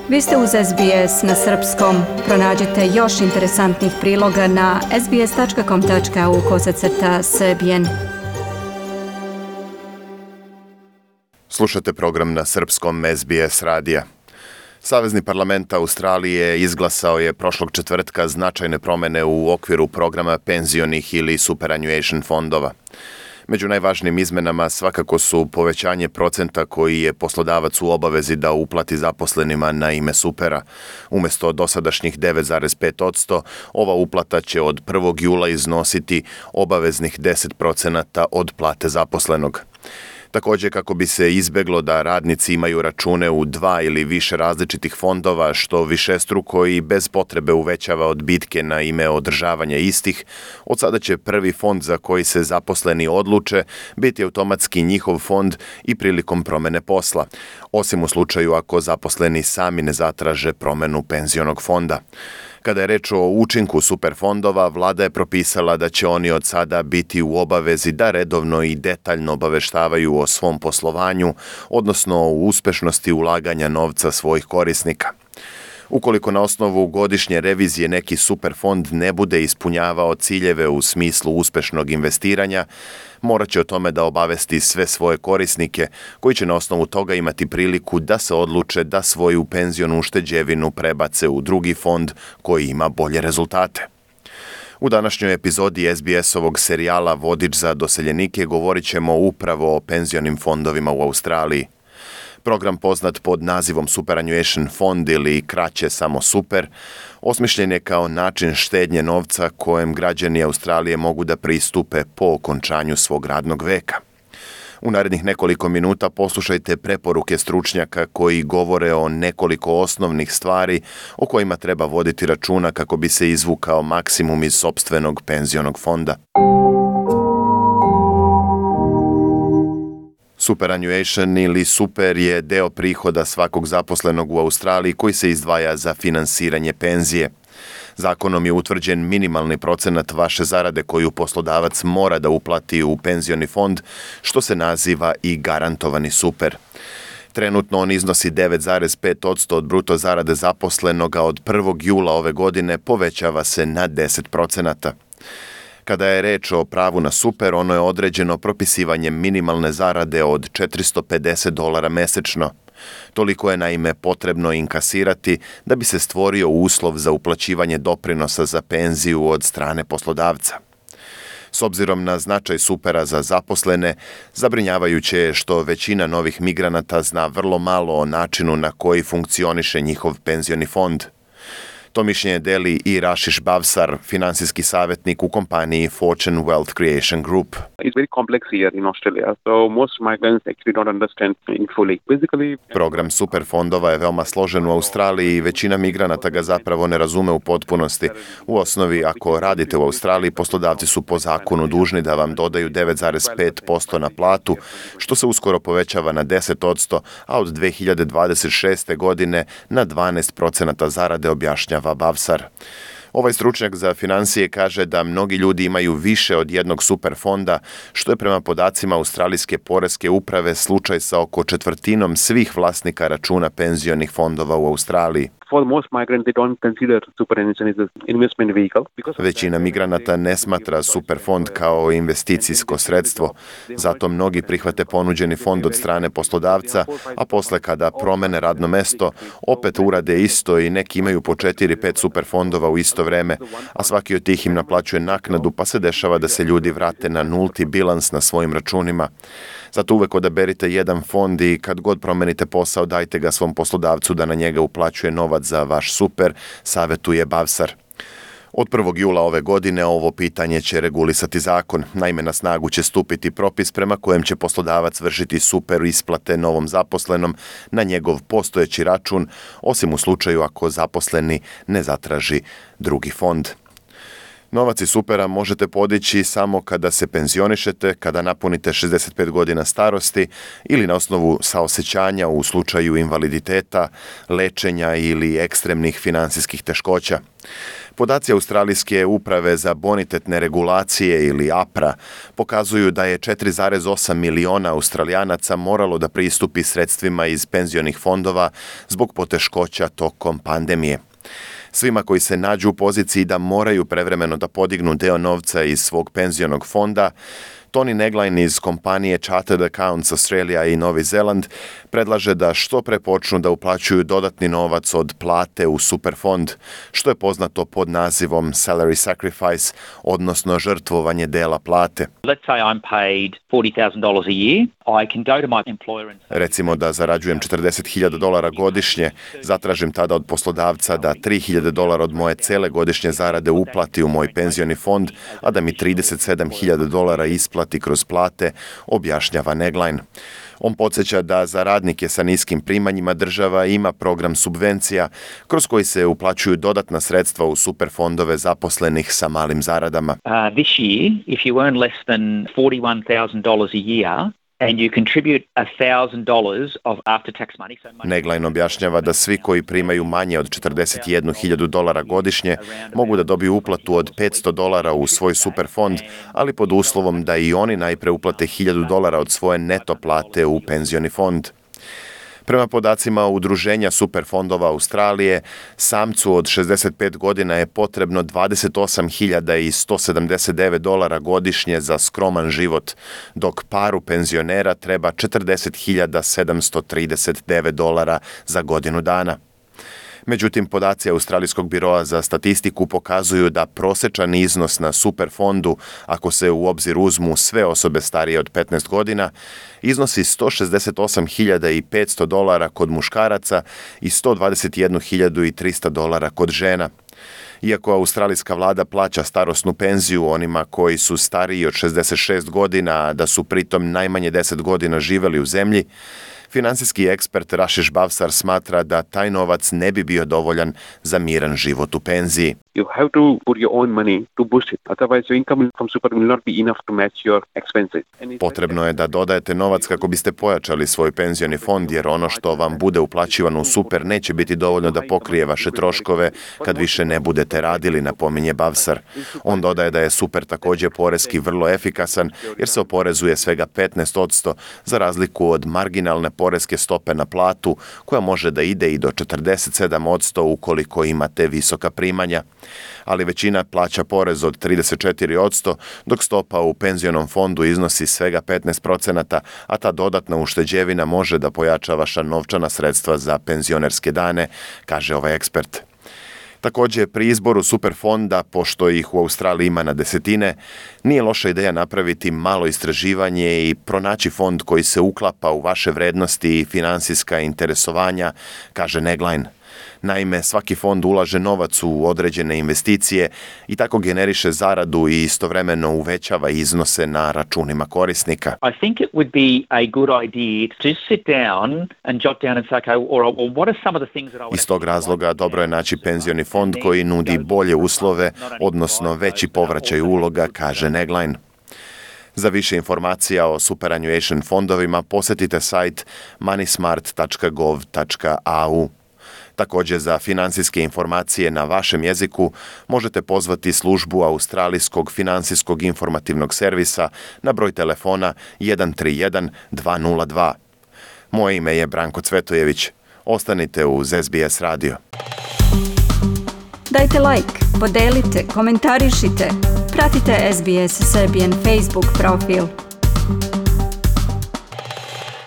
Vi ste uz SBS na srpskom. Pronađite još interesantnih priloga na sbs.com.au/srbijen. Slušate program na srpskom SBS radija. Savezni parlament Australije izglasao je prošlog četvrtka značajne promjene u okviru programa penzionih ili superannuation fondova. Među najvažnijim izmenama svakako su povećanje procenta koji je poslodavac u obavezi da uplati zaposlenima na ime supera. Umjesto dosadašnjih 9,5%, ova uplata će od 1. jula iznositi obaveznih 10% od plate zaposlenog. Također, kako bi se izbjeglo da radnici imaju račune u 2 ili više različitih fondova, što višestruko i bez potrebe uvećava odbitke na ime održavanja istih, od sada će prvi fond za koji se zaposleni odluče biti automatski njihov fond i prilikom promjene posla, osim u slučaju ako zaposleni sami ne zatraže promjenu penzionog fonda. Kada je reč o učinku superfondova, vlada je propisala da će oni od sada biti u obavezi da redovno i detaljno obaveštavaju o svom poslovanju, odnosno o uspešnosti ulaganja novca svojih korisnika. Ukoliko na osnovu godišnje revizije neki superfond ne bude ispunjavao ciljeve u smislu uspešnog investiranja, morat će o tome da obavesti sve svoje korisnike, koji će na osnovu toga imati priliku da se odluče da svoju penzionu ušteđevinu prebace u drugi fond koji ima bolje rezultate. U današnjoj epizodi SBS-ovog serijala Vodič za doseljenike govorit ćemo upravo o penzionim fondovima u Australiji. Program poznat pod nazivom Superannuation fond ili kraće samo super, osmišljen je kao način štednje novca kojem građani Australije mogu da pristupe po okončanju svog radnog veka. U narednih nekoliko minuta poslušajte preporuke stručnjaka koji govore o nekoliko osnovnih stvari o kojima treba voditi računa kako bi se izvukao maksimum iz sopstvenog penzionog fonda. Superannuation ili super je deo prihoda svakog zaposlenog u Australiji koji se izdvaja za finansiranje penzije. Zakonom je utvrđen minimalni procenat vaše zarade koju poslodavac mora da uplati u penzioni fond, što se naziva i garantovani super. Trenutno on iznosi 9,5% od bruto zarade zaposlenoga, od 1. jula ove godine povećava se na 10%. Kada je reč o pravu na super, ono je određeno propisivanjem minimalne zarade od $450 mesečno. Toliko je naime potrebno inkasirati da bi se stvorio uslov za uplaćivanje doprinosa za penziju od strane poslodavca. S obzirom na značaj supera za zaposlene, zabrinjavajuće je što većina novih migranata zna vrlo malo o načinu na koji funkcioniše njihov penzioni fond. To mišljenje deli i Rashish Bavsar, finansijski savjetnik u kompaniji Fortune Wealth Creation Group. It's very complex here in Australia, so most migrants actually don't understand it fully. Basically, program superfondova je veoma složen u Australiji i većina migranata ga zapravo ne razume u potpunosti. U osnovi, ako radite u Australiji, poslodavci su po zakonu dužni da vam dodaju 9,5% na platu, što se uskoro povećava na 10%, a od 2026. godine na 12% zarade, objašnjava Bavsar. Ovaj stručnjak za financije kaže da mnogi ljudi imaju više od jednog superfonda, što je prema podacima Australijske poreske uprave slučaj sa oko četvrtinom svih vlasnika računa penzionih fondova u Australiji. For most migrants, they don't consider superannuation as an investment vehicle. Većina migranata ne smatra superfond kao investicijsko sredstvo, zato mnogi prihvate ponuđeni fond od strane poslodavca, a posle kada promene radno mesto, opet urade isto i neki imaju po 4-5 superfondova u isto vreme, a svaki od tih im naplaćuje naknadu, pa se dešava da se ljudi vrate na nulti bilans na svojim računima. Zato uvek odaberite jedan fond i kad god promenite posao, dajte ga svom poslodavcu da na njega uplaćuje novac za vaš super, savjetuje Bavsar. Od 1. jula ove godine ovo pitanje će regulisati zakon. Naime, na snagu će stupiti propis prema kojem će poslodavac vršiti super isplate novom zaposlenom na njegov postojeći račun, osim u slučaju ako zaposleni ne zatraži drugi fond. Novac iz supera možete podići samo kada se penzionišete, kada napunite 65 godina starosti ili na osnovu saosećanja u slučaju invaliditeta, lečenja ili ekstremnih finansijskih teškoća. Podaci Australijske uprave za bonitetne regulacije ili APRA pokazuju da je 4,8 miliona Australijanaca moralo da pristupi sredstvima iz penzionih fondova zbog poteškoća tokom pandemije. Svima koji se nađu u poziciji da moraju prevremeno da podignu deo novca iz svog penzionog fonda, Tony Negline iz kompanije Chartered Accounts Australia i Novi Zeland predlaže da što pre počnu da uplaćuju dodatni novac od plate u superfond, što je poznato pod nazivom salary sacrifice, odnosno žrtvovanje dela plate. Let's say I'm paid $40,000 a year. I can go to my employer and say, Recimo da zarađujem $40,000 godišnje, zatražim tada od poslodavca da $3,000 od moje cele godišnje zarade uplati u moj penzioni fond, a da mi $37,000 isplati kroz plate, objašnjava Negline. On podsjeća da za radnike sa niskim primanjima država ima program subvencija kroz koji se uplaćuju dodatna sredstva u superfondove zaposlenih sa malim zaradama. This year, if you earn less than $41,000 a year, and you contribute $1,000 of after-tax money. Negline objašnjava da svi koji primaju manje od $41,000 godišnje mogu da dobiju uplatu od $500 u svoj superfond, ali pod uslovom da i oni najpre uplate $1,000 od svoje neto plate u penzioni fond. Prema podacima Udruženja superfondova Australije, samcu od 65 godina je potrebno $28,179 godišnje za skroman život, dok paru penzionera treba $40,739 za godinu dana. Međutim, podaci Australijskog biroa za statistiku pokazuju da prosečan iznos na superfondu, ako se u obzir uzmu sve osobe starije od 15 godina, iznosi $168,500 kod muškaraca i $121,300 kod žena. Iako australijska vlada plaća starosnu penziju onima koji su stariji od 66 godina, a da su pritom najmanje 10 godina živeli u zemlji, finansijski ekspert Rashish Bavsar smatra da taj novac ne bi bio dovoljan za miran život u penziji. You have to put your own money to boost it. Otherwise, your income from super will not be enough to match your expenses. Potrebno je da dodajete novac kako biste pojačali svoj penzioni fond, jer ono što vam bude uplaćivano u super neće biti dovoljno da pokrije vaše troškove kad više ne budete radili, napominje Bavsar. On dodaje da je super također poreski vrlo efikasan, jer se oporezuje svega 15%, za razliku od marginalne poreske stope na platu, koja može da ide i do 47% ukoliko imate visoka primanja. Ali većina plaća porez od 34%, dok stopa u penzionom fondu iznosi svega 15%, a ta dodatna ušteđevina može da pojača vaša novčana sredstva za penzionerske dane, kaže ovaj ekspert. Također, pri izboru superfonda, pošto ih u Australiji ima na desetine, nije loša ideja napraviti malo istraživanje i pronaći fond koji se uklapa u vaše vrednosti i finansijska interesovanja, kaže Negline. Naime, svaki fond ulaže novac u određene investicije i tako generiše zaradu i istovremeno uvećava iznose na računima korisnika. I think it would be a good idea to just sit down and jot down and say, okay, or what are some of the things that I would... Iz tog razloga dobro je naći penzioni fond koji nudi bolje uslove, odnosno veći povraćaj uloga, kaže Negline. Za više informacija o superannuation fondovima posjetite sajt moneysmart.gov.au. Također, za financijske informacije na vašem jeziku možete pozvati službu Australijskog finansijskog informativnog servisa na broj telefona 131 202. Moje ime je Branko Cvetojević. Ostanite uz SBS radio. Dajte like, podelite, komentarišite. Pratite SBS Serbian Facebook profil.